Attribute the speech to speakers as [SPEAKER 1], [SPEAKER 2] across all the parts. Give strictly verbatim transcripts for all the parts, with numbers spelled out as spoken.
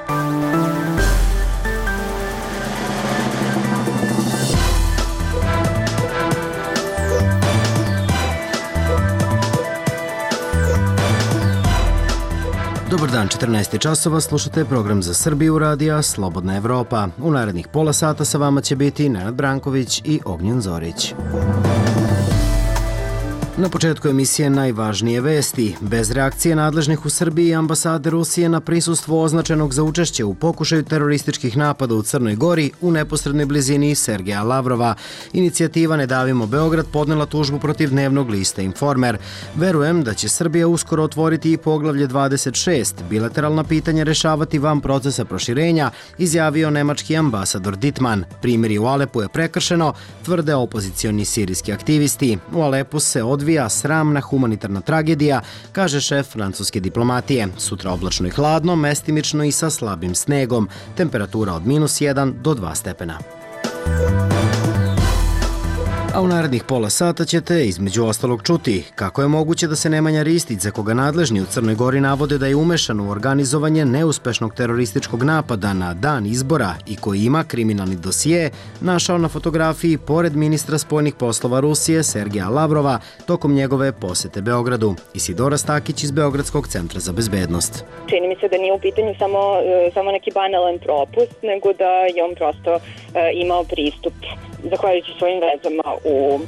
[SPEAKER 1] Dobar dan, četrnaest časova, slušate program za Srbiju radija Slobodna Evropa. U narednih pola sata sa vama će biti Nenad Branković i Ognjen Zorić. Na početku emisije najvažnije vesti. Bez reakcije nadležnih u Srbiji i ambasade Rusije na prisustvo označenog za učešće u pokušaju terorističkih napada u Crnoj Gori u neposrednoj blizini Sergeja Lavrova. Inicijativa Ne davimo Beograd podnela tužbu protiv dnevnog lista Informer. Verujem da će Srbija uskoro otvoriti i poglavlje dvadeset šest, bilateralna pitanja rešavati van procesa proširenja, izjavio nemački ambasador Dittmann. Primjer u Alepu je prekršeno, tvrde opozicioni sirijski aktivisti. U Alepu se odvija sramna humanitarna tragedija, kaže šef francuske diplomatije. Sutra oblačno i hladno, mestimično i sa slabim snegom. Temperatura od minus jedan do dva stepena. A u narednih pola sata ćete između ostalog čuti kako je moguće da se Nemanja Ristić, za koga nadležni u Crnoj Gori navode da je umešan u organizovanje neuspešnog terorističkog napada na dan izbora i koji ima kriminalni dosije, našao na fotografiji pored ministra spoljnih poslova Rusije Sergeja Lavrova tokom njegove posete Beogradu. Isidora Stakić iz Beogradskog centra za bezbednost.
[SPEAKER 2] Čini mi se da nije u pitanju samo, samo neki banalan propust, nego da je on prosto uh, imao pristup zahvaljujući svojim vezama u uh,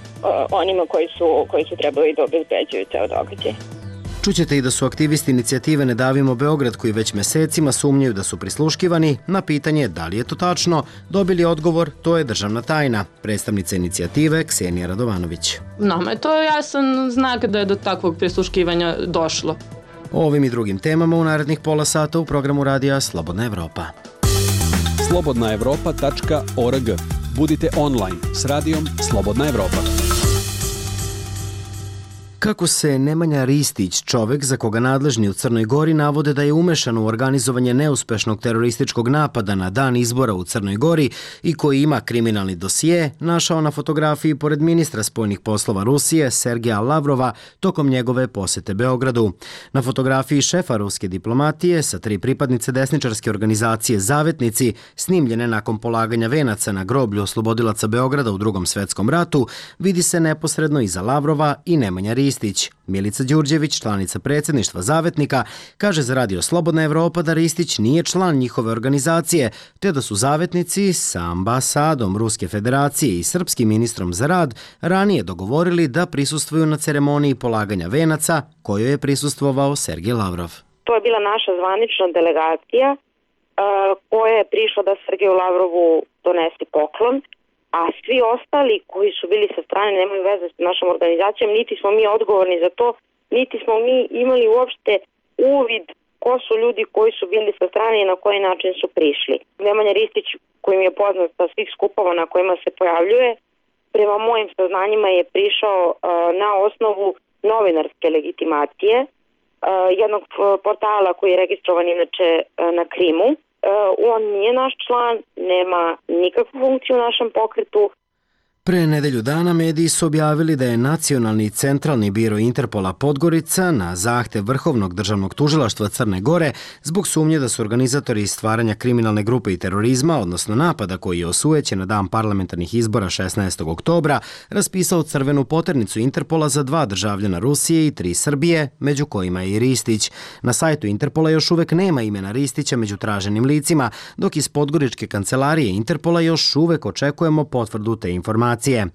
[SPEAKER 2] onima koji su, koji su trebali da obezbeđuju ceo događaj.
[SPEAKER 1] Čućete i da su aktivisti inicijative Ne davimo Beograd, koji već mesecima sumnjaju da su prisluškivani, na pitanje da li je to tačno, dobili odgovor to je državna tajna. Predstavnica inicijative Ksenija Radovanović.
[SPEAKER 3] Nama je to jasan znak da je do takvog prisluškivanja došlo.
[SPEAKER 1] O ovim i drugim temama u narednih pola sata u programu radija Slobodna Evropa.
[SPEAKER 4] slobodna evropa tačka org. Budite online s radijom Slobodna Evropa.
[SPEAKER 1] Kako se Nemanja Ristić, čovek za koga nadležni u Crnoj Gori navode da je umešan u organizovanje neuspešnog terorističkog napada na dan izbora u Crnoj Gori i koji ima kriminalni dosije, našao na fotografiji pored ministra spoljnih poslova Rusije Sergeja Lavrova tokom njegove posete Beogradu. Na fotografiji šefa ruske diplomatije sa tri pripadnice desničarske organizacije Zavetnici, snimljene nakon polaganja venaca na groblju oslobodilaca Beograda u Drugom svetskom ratu, vidi se neposredno iza Lavrova i Nemanja Ristić. Milica Đurđević, članica predsjedništva Zavetnika, kaže za radio Slobodna Evropa da Ristić nije član njihove organizacije, te da su Zavetnici sa ambasadom Ruske federacije i srpskim ministrom za rad ranije dogovorili da prisustvuju na ceremoniji polaganja venaca kojoj je prisustvovao Sergej Lavrov.
[SPEAKER 2] To je bila naša zvanična delegacija uh, koja je prišla da Sergeju Lavrovu donese poklon, a svi ostali koji su bili sa strane nemaju veze s našom organizacijom, niti smo mi odgovorni za to, niti smo mi imali uopšte uvid ko su ljudi koji su bili sa strane i na koji način su prišli. Nemanja Ristić, kojim je poznat sa svih skupova na kojima se pojavljuje, prema mojim saznanjima je prišao uh, na osnovu novinarske legitimacije uh, jednog portala koji je registrovan inače uh, na Krimu. On nije naš član, nema nikakvu funkciju u našem pokretu.
[SPEAKER 1] Pre nedelju dana mediji su objavili da je Nacionalni centralni biro Interpola Podgorica na zahtev Vrhovnog državnog tužilaštva Crne Gore zbog sumnje da su organizatori stvaranja kriminalne grupe i terorizma, odnosno napada koji je osujećen na dan parlamentarnih izbora šesnaestog oktobra, raspisao crvenu poternicu Interpola za dva državljana Rusije i tri Srbije, među kojima je i Ristić. Na sajtu Interpola još uvek nema imena Ristića među traženim licima, dok iz podgoričke kancelarije Interpola još uvek očekujemo potvrdu te informacije.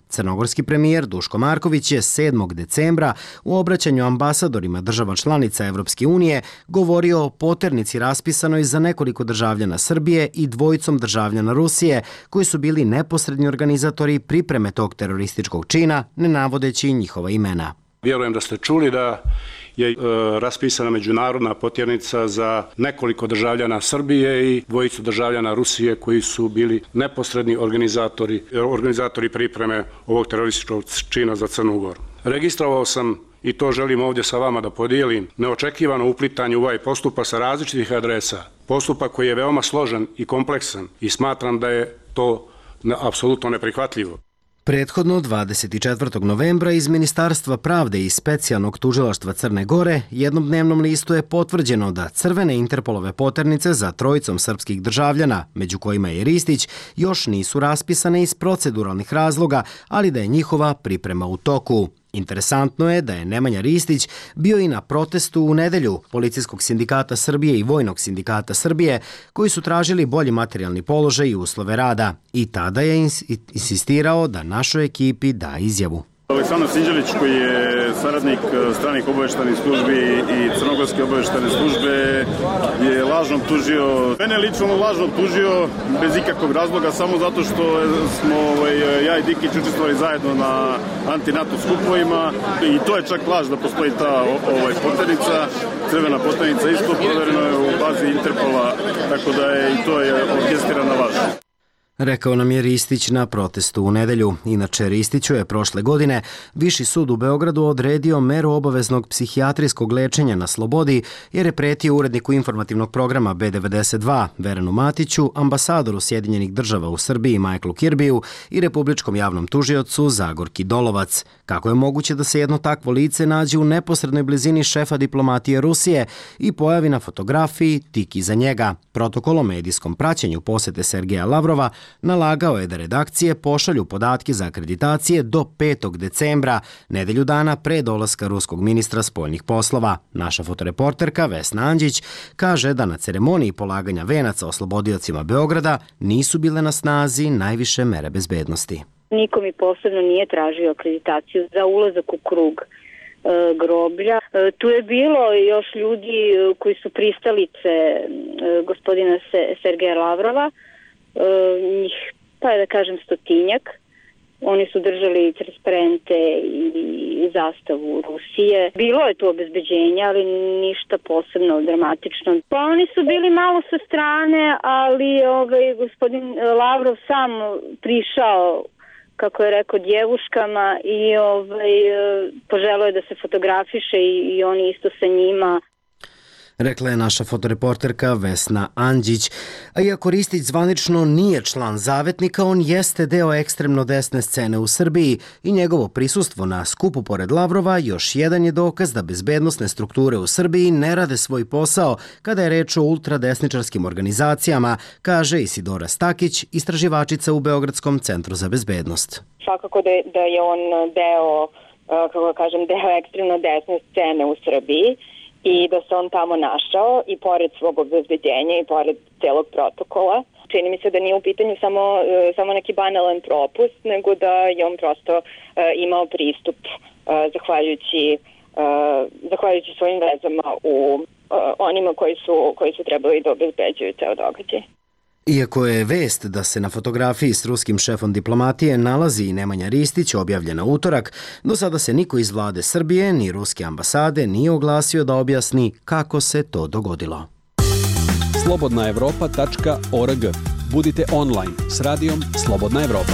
[SPEAKER 1] Crnogorski premijer Duško Marković je sedmog decembra u obraćanju ambasadorima država članica Evropske unije govorio o poternici raspisanoj za nekoliko državljana Srbije i dvojicom državljana Rusije koji su bili neposredni organizatori pripreme tog terorističkog čina, ne navodeći njihova imena.
[SPEAKER 5] Vjerujem da ste čuli da je e, raspisana međunarodna potjernica za nekoliko državljana Srbije i dvojicu državljana Rusije koji su bili neposredni organizatori, organizatori pripreme ovog terorističkog čina za Crnu Goru. Registrovao sam, i to želim ovdje sa vama da podijelim, neočekivano uplitanje u ovaj postupak sa različitih adresa. Postupak koji je veoma složen i kompleksan i smatram da je to apsolutno neprihvatljivo.
[SPEAKER 1] Prethodno dvadeset četvrtog novembra iz Ministarstva pravde i Specijalnog tužilaštva Crne Gore jednom dnevnom listu je potvrđeno da crvene Interpolove poternice za trojicom srpskih državljana, među kojima je Ristić, još nisu raspisane iz proceduralnih razloga, ali da je njihova priprema u toku. Interesantno je da je Nemanja Ristić bio i na protestu u nedelju Policijskog sindikata Srbije i Vojnog sindikata Srbije, koji su tražili bolji materijalni položaj i uslove rada. I tada je insistirao da našoj ekipi da izjavu.
[SPEAKER 6] Aleksandar Sinđelić, koji je saradnik stranih obaveštajnih službi i crnogorske obaveštajne službe, je lažno optužio, mene lično lažno optužio bez ikakvog razloga, samo zato što smo ovaj, ja i Dikić učestvovali zajedno na anti-NATO skupovima i to je čak laž da postoji ta ovaj, poternica, crvena poternica isto, provereno je u bazi Interpola, tako da je i to je orkestirana laž.
[SPEAKER 1] Rekao nam je Ristić na protestu u nedelju. Inače, Ristiću je prošle godine Viši sud u Beogradu odredio meru obaveznog psihijatrijskog lečenja na slobodi jer je pretio uredniku informativnog programa B devedeset dva Verenu Matiću, ambasadoru Sjedinjenih država u Srbiji Michaelu Kirbiju i republičkom javnom tužiocu Zagorki Dolovac. Kako je moguće da se jedno takvo lice nađe u neposrednoj blizini šefa diplomatije Rusije i pojavi na fotografiji tik iza njega? Protokol o medijskom praćenju posete Sergeja Lavrova nalagao je da redakcije pošalju podatke za akreditacije do petog decembra, nedelju dana pre dolaska ruskog ministra spoljnih poslova. Naša fotoreporterka Vesna Anđić kaže da na ceremoniji polaganja venaca oslobodiocima Beograda nisu bile na snazi najviše mere bezbednosti.
[SPEAKER 7] Niko mi posebno nije tražio akreditaciju za ulazak u krug e, groblja. E, tu je bilo još ljudi koji su pristalice e, gospodina Se, Sergeja Lavrova, e, njih, pa da kažem, stotinjak. Oni su držali transparente i zastavu Rusije. Bilo je tu obezbeđenja, ali ništa posebno dramatično. Pa oni su bili malo sa strane, ali ovaj, gospodin Lavrov sam prišao, kako je rekao, djevuškama i ovaj, poželeo je da se fotografiše i, i oni isto sa njima.
[SPEAKER 1] Rekla je naša fotoreporterka Vesna Anđić. A iako Ristić zvanično nije član Zavetnika, on jeste deo ekstremno desne scene u Srbiji i njegovo prisustvo na skupu pored Lavrova još jedan je dokaz da bezbednosne strukture u Srbiji ne rade svoj posao kada je reč o ultradesničarskim organizacijama, kaže Isidora Stakić, istraživačica u Beogradskom centru za bezbednost.
[SPEAKER 2] Svakako da je, da je on deo, kako kažem, deo ekstremno desne scene u Srbiji i da se on tamo našao i pored svog obezbeđenja i pored celog protokola. Čini mi se da nije u pitanju samo, samo neki banalan propust, nego da je on prosto uh, imao pristup uh, zahvaljujući, uh, zahvaljujući svojim vezama u uh, onima koji su, koji su trebali da obezbeđuju ceo događaj.
[SPEAKER 1] Iako je vest da se na fotografiji s ruskim šefom diplomatije nalazi i Nemanja Ristić objavljena utorak, do sada se niko iz vlade Srbije ni ruske ambasade nije oglasio da objasni kako se to dogodilo.
[SPEAKER 4] slobodna evropa tačka org. Budite online s radijom Slobodna Evropa.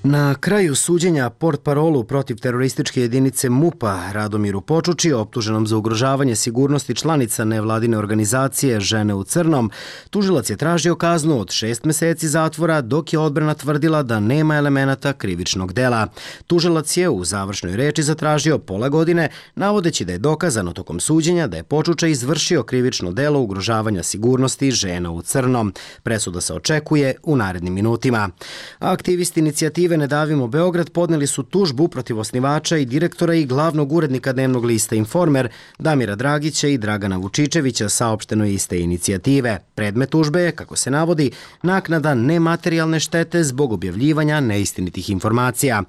[SPEAKER 1] Na kraju suđenja portparolu protiv terorističke jedinice MUP-a Radomiru Počuči, optuženom za ugrožavanje sigurnosti članica nevladine organizacije Žene u crnom, tužilac je tražio kaznu od šest meseci zatvora, dok je odbrana tvrdila da nema elemenata krivičnog dela. Tužilac je u završnoj reči zatražio pola godine, navodeći da je dokazano tokom suđenja da je Počuča izvršio krivično delo ugrožavanja sigurnosti Žena u crnom. Presuda se očekuje u narednim minutima. Aktivisti inicijative Ne davimo Beograd podneli su tužbu protiv osnivača i direktora i glavnog urednika dnevnog lista Informer Damira Dragića i Dragana Vučičevića, saopšteno je iste inicijative. Predmet tužbe je, kako se navodi, naknada nematerijalne štete zbog objavljivanja neistinitih informacija.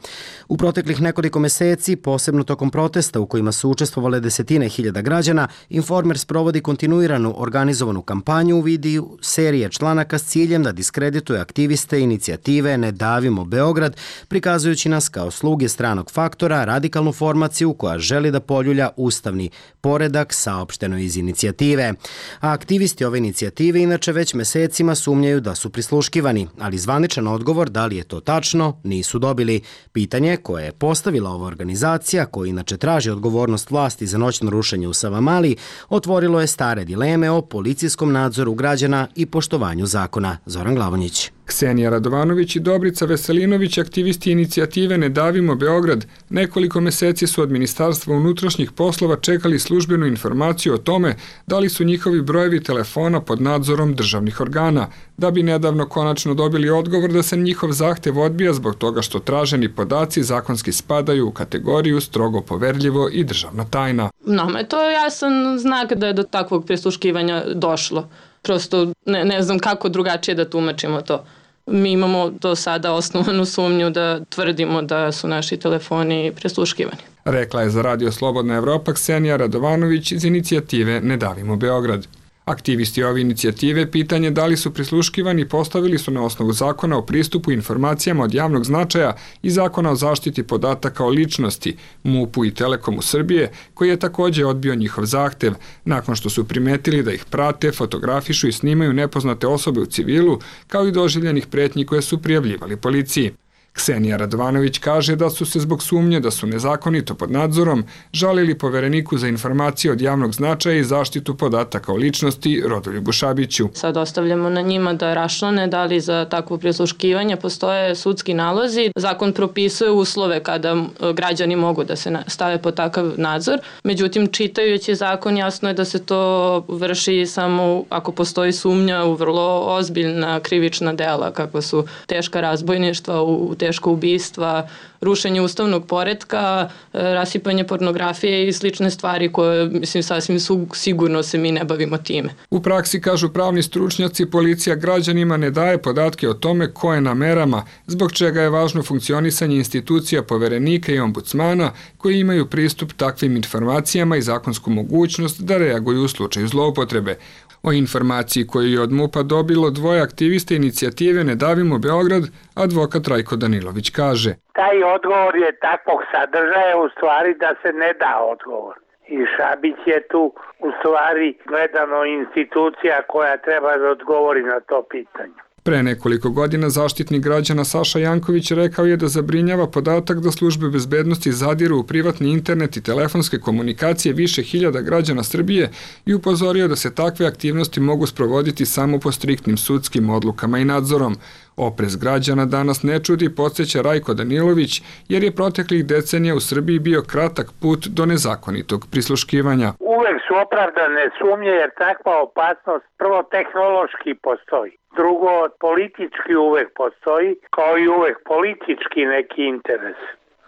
[SPEAKER 1] U proteklih nekoliko meseci, posebno tokom protesta u kojima su učestvovale desetine hiljada građana, Informer sprovodi kontinuiranu organizovanu kampanju u vidu serije članaka s ciljem da diskredituje aktiviste inicijative Ne davimo Beograd, prikazujući nas kao sluge stranog faktora, radikalnu formaciju koja želi da poljulja ustavni poredak, saopšteno iz inicijative. A aktivisti ove inicijative inače već mesecima sumnjaju da su prisluškivani, ali zvaničan odgovor da li je to tačno nisu dobili. Pitanje koje je postavila ova organizacija, koja inače traži odgovornost vlasti za noćno rušenje u Savamali, otvorilo je stare dileme o policijskom nadzoru građana i poštovanju zakona. Zoran Glavonjić.
[SPEAKER 8] Ksenija Radovanović i Dobrica Veselinović, aktivisti inicijative Ne davimo Beograd, nekoliko meseci su od Ministarstva unutrašnjih poslova čekali službenu informaciju o tome da li su njihovi brojevi telefona pod nadzorom državnih organa, da bi nedavno konačno dobili odgovor da se njihov zahtev odbija zbog toga što traženi podaci zakonski spadaju u kategoriju strogo poverljivo i državna tajna.
[SPEAKER 3] Nama je to jasan znak da je do takvog prisluškivanja došlo. Prosto ne, ne znam kako drugačije da tumačimo to. Mi imamo do sada osnovanu sumnju da tvrdimo da su naši telefoni prisluškivani.
[SPEAKER 8] Rekla je za Radio Slobodna Evropa Ksenija Radovanović iz inicijative Ne davimo Beograd. Aktivisti ove inicijative pitanje da li su prisluškivani postavili su na osnovu zakona o pristupu informacijama od javnog značaja i zakona o zaštiti podataka o ličnosti, MUP-u i Telekomu Srbije, koji je takođe odbio njihov zahtev, nakon što su primetili da ih prate, fotografišu i snimaju nepoznate osobe u civilu, kao i doživljenih pretnji koje su prijavljivali policiji. Ksenija Radovanović kaže da su se zbog sumnje da su nezakonito pod nadzorom žalili Povereniku za informacije od javnog značaja i zaštitu podataka o ličnosti Rodoljubu Šabiću.
[SPEAKER 3] Sad ostavljamo na njima da raščlane da li za takvo prisluškivanje postoje sudski nalozi. Zakon propisuje uslove kada građani mogu da se stave pod takav nadzor. Međutim, čitajući zakon jasno je da se to vrši samo ako postoji sumnja u vrlo ozbiljna krivična dela, kako su teška razbojništva, u teško ubistva, rušenje ustavnog poretka, rasipanje pornografije i slične stvari koje, mislim, sasvim su, sigurno se mi ne bavimo time.
[SPEAKER 8] U praksi, kažu pravni stručnjaci, policija građanima ne daje podatke o tome ko je na merama, zbog čega je važno funkcionisanje institucija Poverenika i ombudsmana koji imaju pristup takvim informacijama i zakonsku mogućnost da reaguju u slučaju zloupotrebe. O informaciji koju je od MUP-a dobilo dvoje aktiviste inicijative Ne davimo Beograd, advokat Rajko Danilović kaže:
[SPEAKER 9] Taj odgovor je takvog sadržaja u stvari da se ne da odgovor. I Šabić je tu u stvari gledano institucija koja treba da odgovori na to pitanje.
[SPEAKER 8] Pre nekoliko godina Zaštitnik građana Saša Janković rekao je da zabrinjava podatak da službe bezbednosti zadiru u privatni internet i telefonske komunikacije više hiljada građana Srbije i upozorio da se takve aktivnosti mogu sprovoditi samo po striktnim sudskim odlukama i nadzorom. Oprez građana danas ne čudi, podsjeća Rajko Danilović, jer je proteklih decenija u Srbiji bio kratak put do nezakonitog prisluškivanja.
[SPEAKER 9] Uvek su opravdane sumnje jer takva opasnost prvo tehnološki postoji. Drugo, politički uvek postoji, kao i uvek politički neki interes.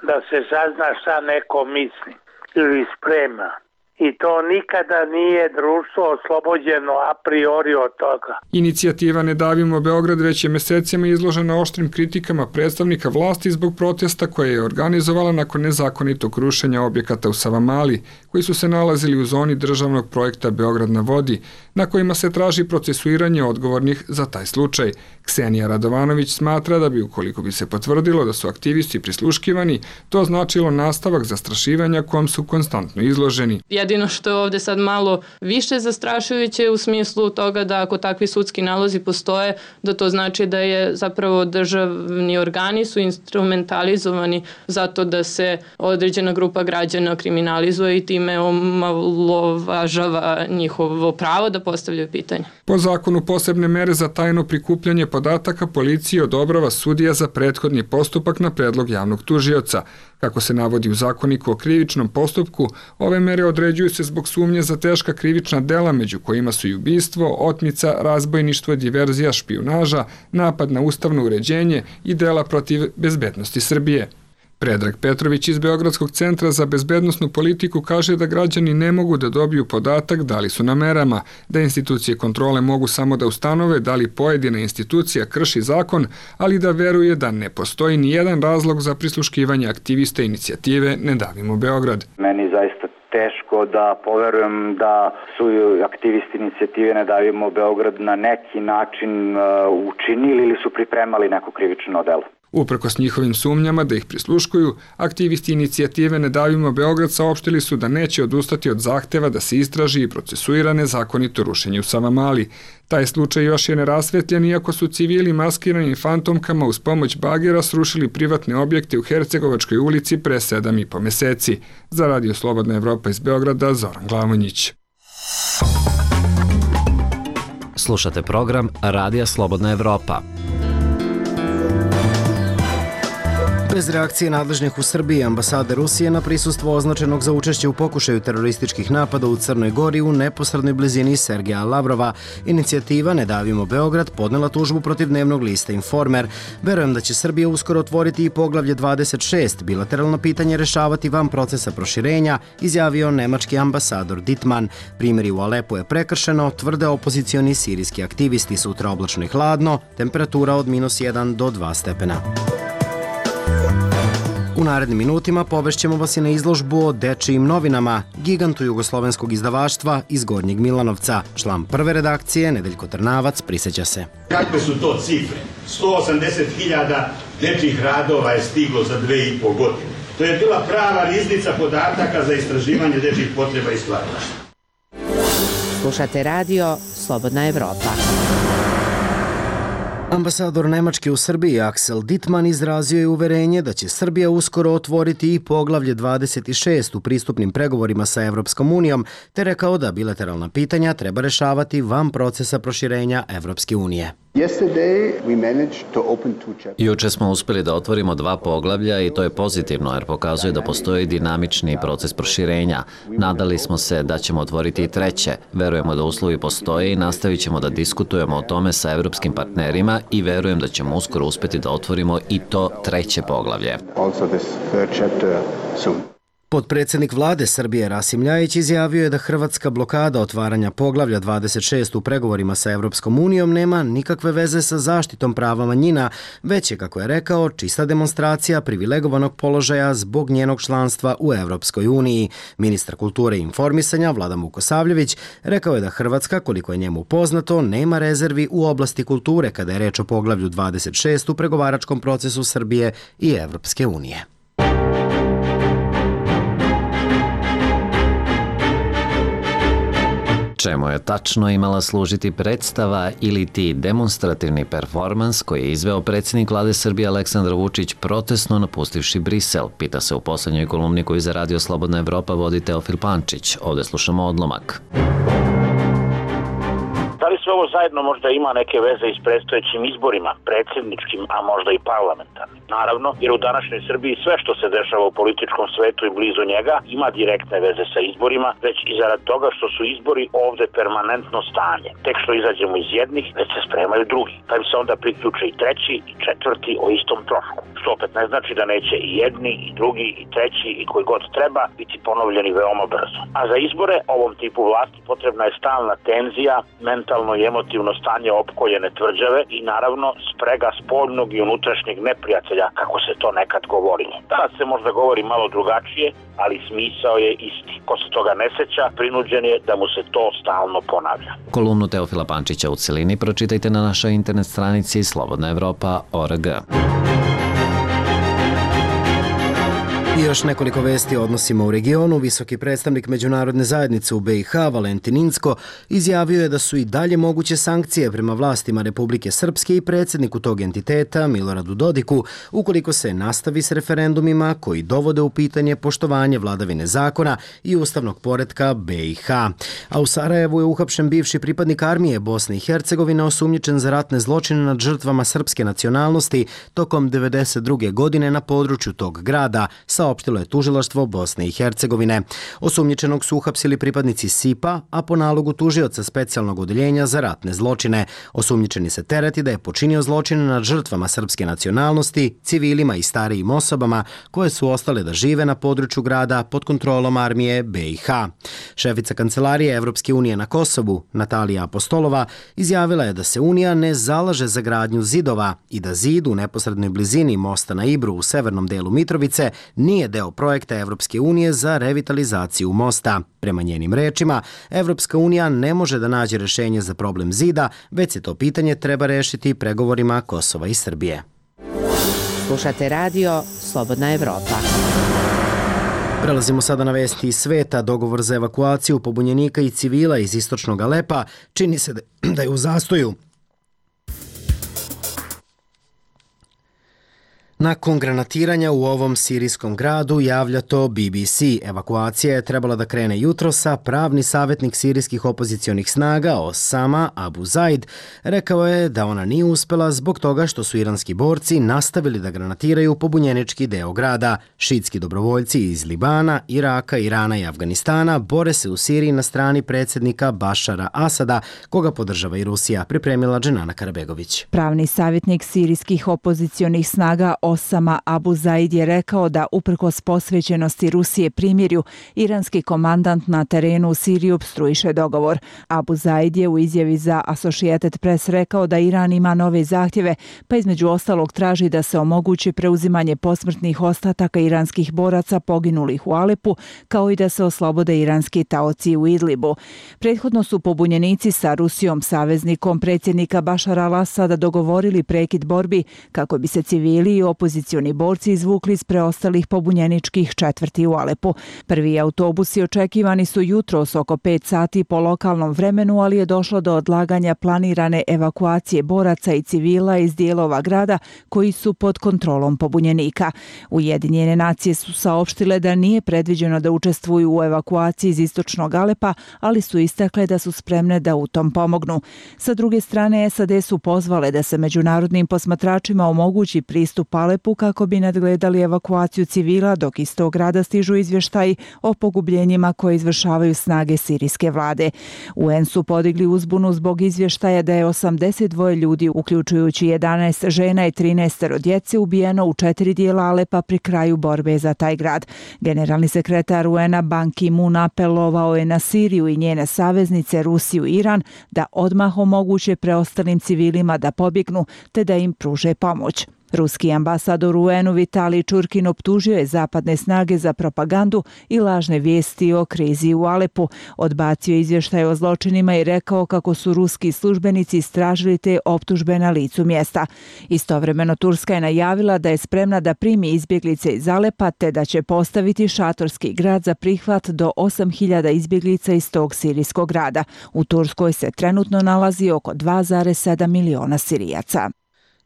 [SPEAKER 9] Da se sazna šta neko misli ili sprema. I to nikada nije društvo oslobođeno a priori od toga.
[SPEAKER 8] Inicijativa Ne davimo Beograd već je mesecima izložena oštrim kritikama predstavnika vlasti zbog protesta koje je organizovala nakon nezakonitog rušenja objekata u Savamali, koji su se nalazili u zoni državnog projekta Beograd na vodi, na kojima se traži procesuiranje odgovornih za taj slučaj. Ksenija Radovanović smatra da bi, ukoliko bi se potvrdilo da su aktivisti prisluškivani, to značilo nastavak zastrašivanja kom su konstantno izloženi.
[SPEAKER 3] Jedino što je ovde sad malo više zastrašujuće u smislu toga da ako takvi sudski nalozi postoje, da to znači da je zapravo državni organi su instrumentalizovani zato da se određena grupa građana kriminalizuje i time omalovažava njihovo pravo da postavljaju pitanje.
[SPEAKER 8] Po zakonu posebne mere za tajno prikupljanje podataka policiji odobrava sudija za prethodni postupak na predlog javnog tužioca. Kako se navodi u zakoniku o krivičnom postupku, ove mere određuju se zbog sumnje za teška krivična dela, među kojima su i ubistvo, otmica, razbojništvo, diverzija, špijunaža, napad na ustavno uređenje i dela protiv bezbednosti Srbije. Predrag Petrović iz Beogradskog centra za bezbednosnu politiku kaže da građani ne mogu da dobiju podatak da li su na merama, da institucije kontrole mogu samo da ustanove da li pojedina institucija krši zakon, ali da veruje da ne postoji ni jedan razlog za prisluškivanje aktivista inicijative Ne davimo Beograd.
[SPEAKER 10] Meni zaista teško da poverujem da su aktivisti inicijative Ne davimo Beograd na neki način učinili ili su pripremali neko krivično delo.
[SPEAKER 8] Uprkos njihovim sumnjama da ih prisluškuju, aktivisti inicijative Ne davimo Beograd saopštili su da neće odustati od zahteva da se istraži i procesuira nezakonito rušenje u Savamali. Taj slučaj još je nerasvetljen, iako su civili maskirani fantomkama uz pomoć bagera srušili privatne objekte u Hercegovačkoj ulici pre sedam i po meseci. Za Radio Slobodna Evropa iz Beograda, Zoran Glavonjić.
[SPEAKER 11] Slušate program Radija Slobodna Evropa.
[SPEAKER 1] Bez reakcije nadležnih u Srbiji, ambasade Rusije na prisustvo označenog za učešće u pokušaju terorističkih napada u Crnoj Gori u neposrednoj blizini Sergeja Lavrova, inicijativa Ne davimo Beograd podnela tužbu protiv dnevnog lista Informer. Verujem da će Srbija uskoro otvoriti i poglavlje dvadeset šest, bilateralno pitanje rešavati van procesa proširenja, izjavio nemački ambasador Dittmann. Primjeri u Alepu je prekršeno, tvrde opozicioni sirijski aktivisti, sutra oblačno i hladno, temperatura od minus jedan do dva stepena. U narednim minutima povešćemo vas i na izložbu o dečijim novinama, gigantu jugoslovenskog izdavaštva iz Gornjeg Milanovca. Član prve redakcije, Nedeljko Trnavac, prisjeća se.
[SPEAKER 11] Kakve su to cifre? sto osamdeset hiljada dečjih radova je stiglo za dve i po godine. To je bila prava riznica podataka za istraživanje dečjih potreba i stvaralaštva.
[SPEAKER 12] Slušate radio Slobodna Evropa.
[SPEAKER 1] Ambasador Nemačke u Srbiji Axel Dittmann izrazio je uverenje da će Srbija uskoro otvoriti i poglavlje dvadeset šest u pristupnim pregovorima sa Evropskom unijom, te rekao da bilateralna pitanja treba rešavati van procesa proširenja Evropske unije.
[SPEAKER 13] Juče smo uspjeli da otvorimo dva poglavlja i to je pozitivno jer pokazuje da postoji dinamični proces proširenja. Nadali smo se da ćemo otvoriti i treće. Verujemo da uslovi postoje i nastavit ćemo da diskutujemo o tome sa evropskim partnerima i verujem da ćemo uskoro uspjeti da otvorimo i to treće poglavlje.
[SPEAKER 1] Potpredsjednik vlade Srbije Rasim Ljajić izjavio je da hrvatska blokada otvaranja poglavlja dvadeset šest u pregovorima sa Evropskom unijom nema nikakve veze sa zaštitom prava manjina, već je, kako je rekao, čista demonstracija privilegovanog položaja zbog njenog članstva u Evropskoj uniji. Ministar kulture i informisanja Vladan Vukosavljević rekao je da Hrvatska, koliko je njemu poznato, nema rezervi u oblasti kulture kada je reč o poglavlju dvadeset šest u pregovaračkom procesu Srbije i Evropske unije.
[SPEAKER 13] Čemu je tačno imala služiti predstava ili ti demonstrativni performans koji je izveo predsjednik vlade Srbije Aleksandar Vučić protestno napustivši Brisel, pita se u poslednjoj kolumni koju za Radio Slobodna Evropa vodi Teofil Pančić. Ovdje slušamo odlomak.
[SPEAKER 14] Da li sve ovo zajedno možda ima neke veze i s predstojećim izborima, predsjedničkim, a možda i parlamentarnim? Naravno, jer u današnjoj Srbiji sve što se dešava u političkom svetu i blizu njega ima direktne veze sa izborima, već i zarad toga što su izbori ovde permanentno stanje. Tek što izađemo iz jednih, već se spremaju drugi. Pa im se onda priključe i treći i četvrti o istom trošku. Što opet ne znači da neće i jedni, i drugi, i treći, i koji god treba biti ponovljeni veoma brzo. A za izbore ovom tipu vlasti potrebna je stalna tenzija, mentalno i emotivno stanje opkoljene tvrđave i naravno sprega spoljnog i unutrašnjeg neprijatelja, kako se to nekad govorilo. Danas se možda govori malo drugačije, ali smisao je isti. Ko se toga ne seća, prinuđen je da mu se to stalno ponavlja.
[SPEAKER 13] Kolumnu Teofila Pančića u celini pročitajte na našoj internet stranici slobodna evropa tačka org.
[SPEAKER 1] I još nekoliko vesti o odnosima u regionu. Visoki predstavnik međunarodne zajednice u B i H, Valentin Incko, izjavio je da su i dalje moguće sankcije prema vlastima Republike Srpske i predsjedniku tog entiteta, Miloradu Dodiku, ukoliko se nastavi s referendumima koji dovode u pitanje poštovanje vladavine zakona i ustavnog poretka B i H. A u Sarajevu je uhapšen bivši pripadnik armije Bosne i Hercegovine osumnjičen za ratne zločine nad žrtvama srpske nacionalnosti tokom devedeset druge godine na području tog grada, saopštilo je tužilaštvo Bosne i Hercegovine. Osumnjičenog su uhapsili pripadnici S I P A, a po nalogu tužioca specijalnog odeljenja za ratne zločine. Osumnjičeni se tereti da je počinio zločine nad žrtvama srpske nacionalnosti, civilima i starijim osobama koje su ostale da žive na području grada pod kontrolom armije B i H. Šefica Kancelarije Evropske unije na Kosovu, Natalija Apostolova, izjavila je da se Unija ne zalaže za gradnju zidova i da zid u neposrednoj blizini mosta na Ibru u severnom delu Mitrovice nije deo projekta Evropske unije za revitalizaciju mosta. Prema njenim rečima, Evropska unija ne može da nađe rešenje za problem zida, već se to pitanje treba rešiti pregovorima Kosova i Srbije.
[SPEAKER 12] Slušate radio Slobodna Evropa.
[SPEAKER 1] Prelazimo sada na vesti iz sveta. Dogovor za evakuaciju pobunjenika i civila iz istočnog Alepa čini se da je u zastoju. Nakon granatiranja u ovom sirijskom gradu javlja to B B C. Evakuacija je trebala da krene jutrosa. Pravni savjetnik sirijskih opozicionih snaga Osama Abu Zaid rekao je da ona nije uspela zbog toga što su iranski borci nastavili da granatiraju pobunjenički deo grada. Šiitski dobrovoljci iz Libana, Iraka, Irana i Afganistana bore se u Siriji na strani predsjednika Bašara Asada, koga podržava i Rusija, pripremila Dženana Karabegović.
[SPEAKER 15] Pravni savjetnik sirijskih opozicionih snaga Osama Abu Zaid je rekao da uprkos posvećenosti Rusije primirju, iranski komandant na terenu u Siriji opstruiše dogovor. Abu Zaid je u izjavi za Associated Press rekao da Iran ima nove zahtjeve, pa između ostalog traži da se omogući preuzimanje posmrtnih ostataka iranskih boraca poginulih u Alepu, kao i da se oslobode iranski taoci u Idlibu. Prethodno su pobunjenici sa Rusijom, saveznikom predsjednika Bašara al-Asada, dogovorili prekid borbi kako bi se civili i opozicioni borci izvukli iz preostalih pobunjeničkih četvrti u Alepu. Prvi autobusi očekivani su jutros oko pet sati po lokalnom vremenu, ali je došlo do odlaganja planirane evakuacije boraca i civila iz dijelova grada koji su pod kontrolom pobunjenika. Ujedinjene nacije su saopštile da nije predviđeno da učestvuju u evakuaciji iz istočnog Alepa, ali su istakle da su spremne da u tom pomognu. Sa druge strane, S A D su pozvale da se međunarodnim posmatračima omogući pristup Alepu kako bi nadgledali evakuaciju civila, dok iz tog grada stižu izvještaji o pogubljenjima koje izvršavaju snage sirijske vlade. U en su podigli uzbunu zbog izvještaja da je osamdeset dva ljudi, uključujući jedanaest žena i trinaest djece, ubijeno u četiri dijela Alepa pri kraju borbe za taj grad. Generalni sekretar U N-a Ban Ki-moon apelovao je na Siriju i njene saveznice Rusiju i Iran da odmah omoguće preostalim civilima da pobjegnu te da im pruže pomoć. Ruski ambasador u U N-u Vitalij Čurkin optužio je zapadne snage za propagandu i lažne vijesti o krizi u Alepu. Odbacio izvještaj o zločinima i rekao kako su ruski službenici istražili te optužbe na licu mjesta. Istovremeno Turska je najavila da je spremna da primi izbjeglice iz Alepa te da će postaviti šatorski grad za prihvat do osam hiljada izbjeglica iz tog sirijskog grada. U Turskoj se trenutno nalazi oko dva zarez sedam miliona Sirijaca.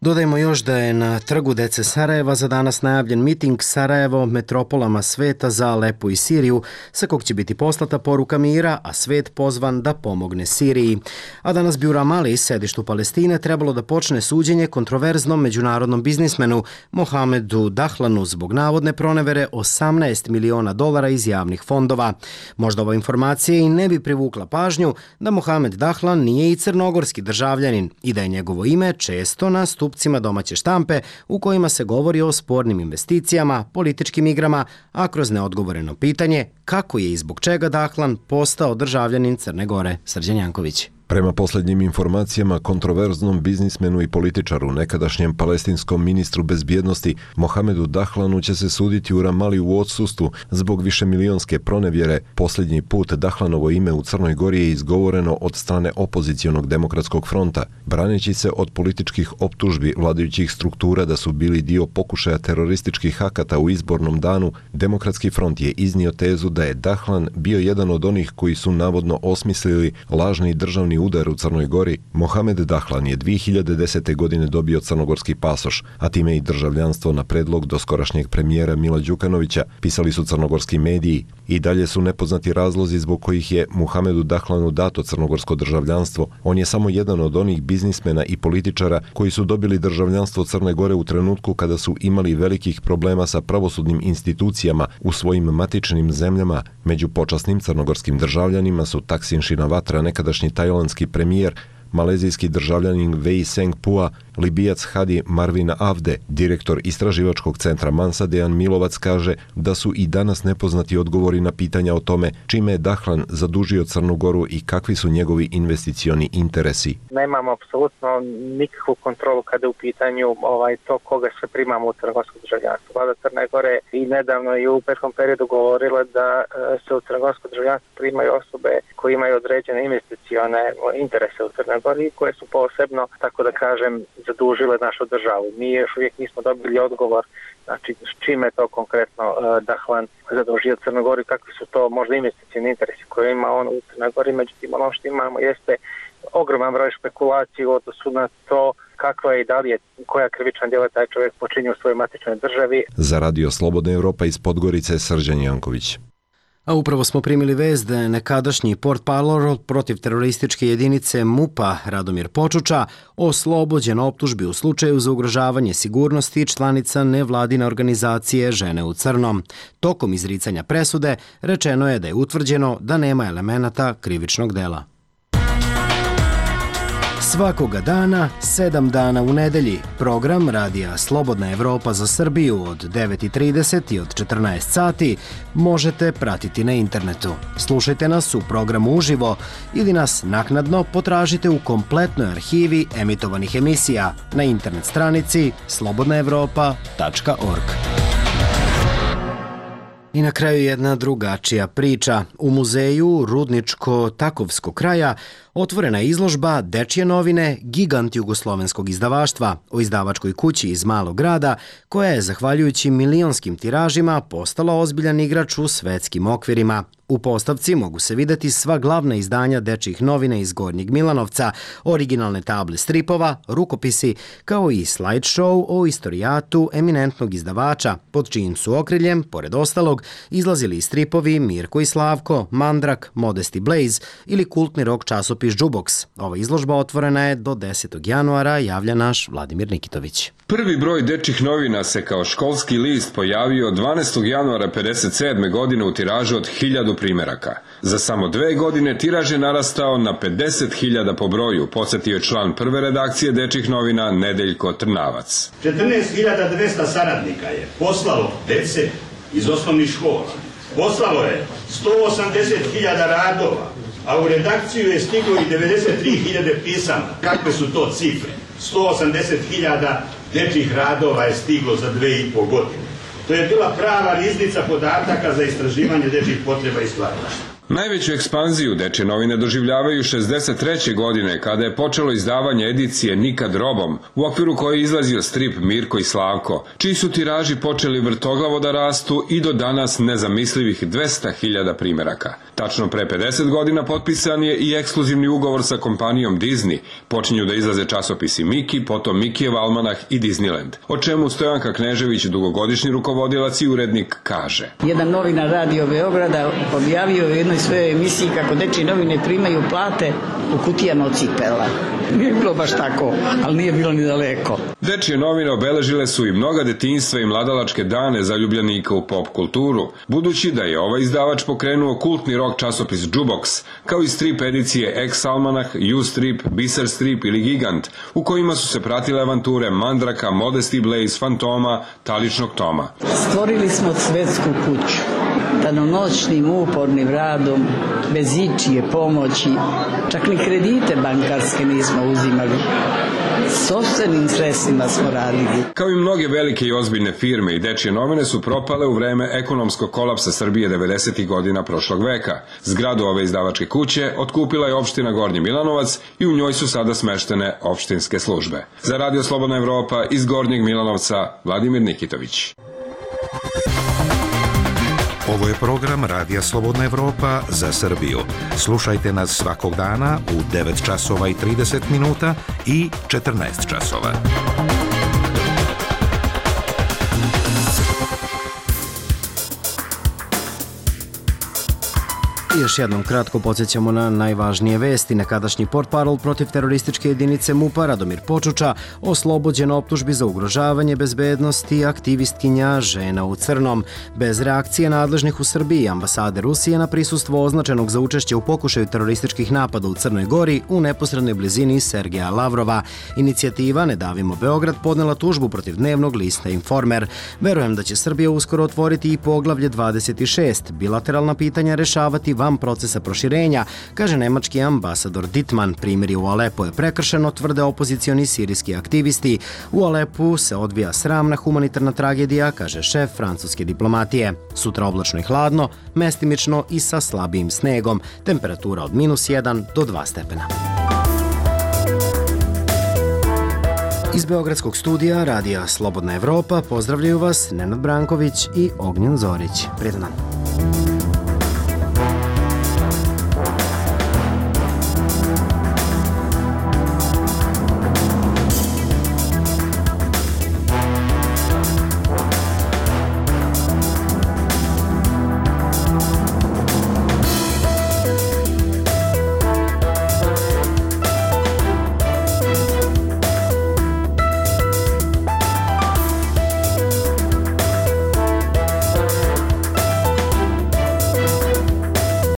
[SPEAKER 1] Dodajmo još da je na trgu dece Sarajeva za danas najavljen miting Sarajevo metropolama sveta za Alepu i Siriju, sa kog će biti poslata poruka mira, a svet pozvan da pomogne Siriji. A danas bi u Ramali, sedištu Palestine, trebalo da počne suđenje kontroverznom međunarodnom biznismenu Mohamedu Dahlanu zbog navodne pronevere osamnaest miliona dolara iz javnih fondova. Možda ova informacija i ne bi privukla pažnju da Mohamed Dahlan nije i crnogorski državljanin i da je njegovo ime često na stupcima domaće štampe u kojima se govori o spornim investicijama, političkim igrama, a kroz neodgovoreno pitanje kako je i zbog čega Dahlan postao državljanin Crne Gore. Srđan Janković.
[SPEAKER 16] Prema posljednjim informacijama, kontroverznom biznismenu i političaru, nekadašnjem palestinskom ministru bezbjednosti Mohamedu Dahlanu će se suditi u Ramali u odsustvu zbog višemilionske pronevjere. Posljednji put Dahlanovo ime u Crnoj Gori je izgovoreno od strane opozicionog demokratskog fronta, braneći se od političkih optužbi vladajućih struktura da su bili dio pokušaja terorističkih akata u izbornom danu. Demokratski front je iznio tezu da je Dahlan bio jedan od onih koji su navodno osmislili lažni državni udar u Crnoj Gori. Mohamed Dahlan je dvije hiljade desete. godine dobio crnogorski pasoš, a time i državljanstvo na predlog doskorašnjeg premijera Mila Đukanovića, pisali su crnogorski mediji. I dalje su nepoznati razlozi zbog kojih je Mohamedu Dahlanu dato crnogorsko državljanstvo. On je samo jedan od onih biznismena i političara koji su dobili državljanstvo Crne Gore u trenutku kada su imali velikih problema sa pravosudnim institucijama u svojim matičnim zemljama. Među počasnim crnogorskim državljanima su Taksin Shinawatra, nekadašnji tajlandski premijer, malezijski državljanin Wei Seng-pua, Libijac Hadi Marvin Avde. Direktor istraživačkog centra Mansa Dejan Milovac kaže da su i danas nepoznati odgovori na pitanja o tome čime je Dahlan zadužio Crnu Goru i kakvi su njegovi investicioni interesi.
[SPEAKER 17] Nemamo apsolutno nikakvu kontrolu kada je u pitanju ovaj, to koga se primamo u crnogorsko državljanstvo. Vlada Crne Gore i nedavno i u prethodnom periodu govorila da se u crnogorsko državljanstvo primaju osobe koje imaju određene investicione interese u Crnoj Gori, koje su posebno, tako da kažem, zadužile našu državu. Mi još uvijek nismo dobili odgovor, znači s čime to konkretno Dahlan zadužio Crnoj Gori, kakvi su to možda investicijni interesi koje ima on u Crnoj Gori, međutim ono što imamo jeste ogroman broj špekulacije u odnosu na to kakva je i da li je, koja krivična djela taj čovjek počinio u svojoj matičnoj državi.
[SPEAKER 16] Za Radio Slobodna Evropa iz Podgorice, Srđan Janković.
[SPEAKER 1] A upravo smo primili vest da je nekadašnji portparol protiv terorističke jedinice MUP-a Radomir Počuča oslobođen optužbi u slučaju za ugrožavanje sigurnosti članica nevladine organizacije Žene u crnom. Tokom izricanja presude rečeno je da je utvrđeno da nema elemenata krivičnog dela. Svakoga dana, sedam dana u nedelji, program Radija Slobodna Evropa za Srbiju od devet i trideset i od četrnaest sati možete pratiti na internetu. Slušajte nas u programu uživo ili nas naknadno potražite u kompletnoj arhivi emitovanih emisija na internet stranici slobodna evropa tačka org. I na kraju jedna drugačija priča. U muzeju Rudničko-Takovskog kraja otvorena je izložba Dečje novine, gigant jugoslovenskog izdavaštva, o izdavačkoj kući iz malog grada, koja je, zahvaljujući milionskim tiražima, postala ozbiljan igrač u svetskim okvirima. U postavci mogu se videti sva glavna izdanja dečjih novina iz Gornjeg Milanovca, originalne table stripova, rukopisi, kao i slideshow o istorijatu eminentnog izdavača, pod čijim su okriljem, pored ostalog, izlazili i stripovi Mirko i Slavko, Mandrak, Modest i Blaze ili kultni rock časopis Jukebox. Ova izložba otvorena je do desetog januara, javlja naš Vladimir Nikitović.
[SPEAKER 18] Prvi broj dečjih novina se kao školski list pojavio dvanaestog januara pedeset sedme godine u tiražu od hiljadu primeraka. Za samo dve godine tiraž je narastao na pedeset hiljada po broju, podsjetio je član prve redakcije dečjih novina Nedeljko Trnavac.
[SPEAKER 11] četrnaest hiljada dvesta saradnika je poslalo dece iz osnovnih škola. Poslalo je sto osamdeset hiljada radova, a u redakciju je stiglo i devedeset tri hiljade pisama. Kakve su to cifre? sto osamdeset hiljada dečjih radova je stiglo za dve i po godine. To je bila prava riznica podataka za istraživanje dečjih potreba i stvaralaštva.
[SPEAKER 18] Najveću ekspanziju dečje novine doživljavaju šezdeset treće godine, kada je počelo izdavanje edicije Nikad robom, u okviru koje je izlazio strip Mirko i Slavko, čiji su tiraži počeli vrtoglavo da rastu i do danas nezamislivih dvesta hiljada primeraka. Tačno pre pedeset godina potpisan je i ekskluzivni ugovor sa kompanijom Disney. Počinju da izlaze časopisi Miki, potom Mikijev almanah i Disneyland, o čemu Stojanka Knežević, dugogodišnji rukovodilac i urednik, kaže.
[SPEAKER 19] Jedan novinar Radio Beograda objavio u jednoj svojoj emisiji kako dečje novine primaju plate u kutijama od cipela. Nije bilo baš tako, ali nije bilo ni daleko.
[SPEAKER 18] Dečje novine obeležile su i mnoga detinjstva i mladalačke dane zaljubljenika u pop kulturu, budući da je ovaj izdavač pokrenuo kultni rock časopis Jukebox, kao i strip edicije X almanah, U strip, Biser strip ili Gigant, u kojima su se pratile avanture Mandraka, Modest i Blaze, Fantoma, Taličnog Toma.
[SPEAKER 19] Stvorili smo svetsku kuću, danonoćnim upornim radom, bez ičije pomoći, čak ni kredite bankarske nismo uzimali. Sopstvenim sredstvima smo radili.
[SPEAKER 18] Kao i mnoge velike i ozbiljne firme, i dečje novine su propale u vreme ekonomskog kolapsa Srbije devedesetih godina prošlog veka. Zgradu ove izdavačke kuće otkupila je opština Gornji Milanovac i u njoj su sada smeštene opštinske službe. Za Radio Slobodna Evropa iz Gornjeg Milanovca, Vladimir Nikitović.
[SPEAKER 20] Ovo je program Radija Slobodna Evropa za Srbiju. Slušajte nas svakog dana u devet časova i trideset minuta i četrnaest časova.
[SPEAKER 1] Još jednom kratko podsjećamo na najvažnije vesti. Nekadašnji portparol protiv terorističke jedinice MUP-a Radomir Počuča oslobođen optužbi za ugrožavanje bezbednosti aktivistkinja Žena u crnom. Bez reakcije nadležnih u Srbiji i ambasade Rusije na prisustvo označenog za učešće u pokušaju terorističkih napada u Crnoj Gori u neposrednoj blizini Sergeja Lavrova. Inicijativa Ne davimo Beograd podnela tužbu protiv dnevnog lista Informer. Verujem da će Srbija uskoro otvoriti i poglavlje dvadeset šest. Bilateralna pitanja rešavati van procesa proširenja, kaže nemački ambasador Dittmann. Primjeri u Alepu je prekršeno, tvrde opozicioni sirijski aktivisti. U Alepu se odvija sramna humanitarna tragedija, kaže šef francuske diplomatije. Sutra oblačno i hladno, mestimično i sa slabijim snegom. Temperatura od minus jedan do dva stepena. Iz Beogradskog studija Radija Slobodna Evropa pozdravljaju vas Nenad Branković i Ognjen Zorić. Prijetan dan.